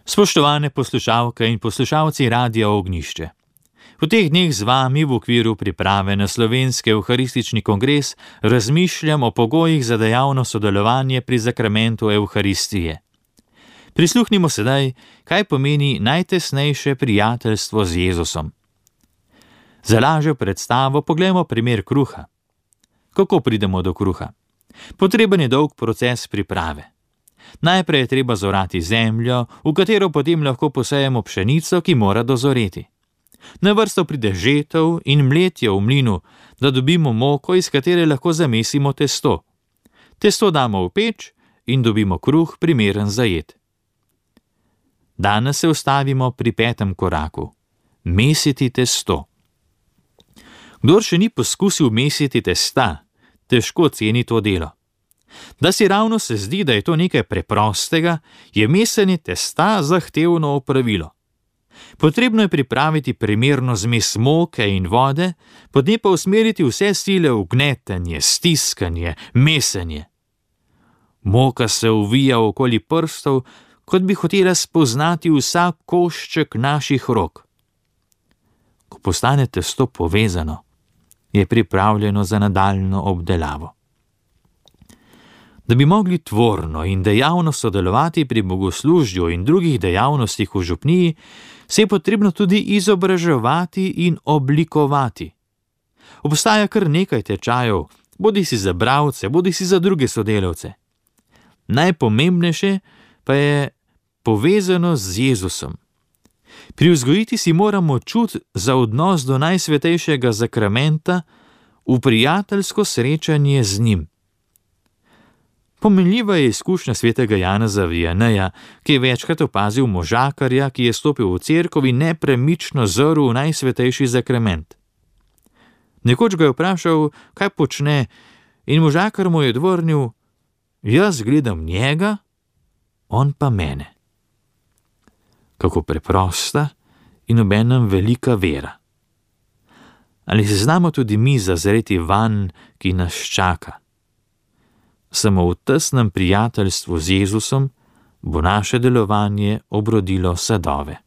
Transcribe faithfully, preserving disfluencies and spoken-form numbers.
Spoštovane poslušalke in poslušalci Radia Ognjišče. V teh dneh z vami v okviru priprave na slovenski evharistični kongres razmišljam o pogojih za dejavno sodelovanje pri zakramentu Evharistije. Prisluhnimo sedaj, kaj pomeni najtesnejše prijateljstvo z Jezusom. Za lažjo predstavo poglejmo primer kruha. Kako pridemo do kruha? Potreben je dolg proces priprave. Najprej je treba zorati zemljo, v katero potem lahko posejemo pšenico, ki mora dozoreti. Na vrsto pride žetev in mletje v mlinu, da dobimo moko, iz katere lahko zamesimo testo. Testo damo v peč in dobimo kruh, primeren za jed. Danes se ustavimo pri petem koraku. Mesiti testo. Kdor še ni poskusil mesiti testa, težko ceni to delo. Da si ravno se zdi, da je to nekaj preprostega, je mesenje testa zahtevno opravilo. Potrebno je pripraviti primerno zmes moke in vode, potem pa usmeriti vse sile v gnetenje, stiskanje, mesenje. Moka se uvija okoli prstov, kot bi hotela spoznati vsak košček naših rok. Ko postane testo povezano, je pripravljeno za nadaljnjo obdelavo. Da bi mogli tvorno in dejavno sodelovati pri bogoslužju in drugih dejavnostih v župniji, se je potrebno tudi izobraževati in oblikovati. Obstaja kar nekaj tečajev, bodi si za bralce, bodi si za druge sodelavce. Najpomembnejše pa je povezano z Jezusom. Privzgojiti si moramo čut za odnos do najsvetejšega zakramenta, v prijateljsko srečanje z njim. Pomenljiva je izkušnja svetega Janeza Vijaneja, ki je večkrat opazil možakarja, ki je stopil v cerkev in nepremično zrl v najsvetejši zakrament. Nekoč ga je vprašal, kaj počne, in možakar mu je odvrnil: jaz gledam njega, on pa mene. Kako preprosta in obenem velika vera. Ali se znamo tudi mi zazreti vanj, ki nas čaka? Samo v tesnem prijateljstvu z Jezusom bo naše delovanje obrodilo sadove.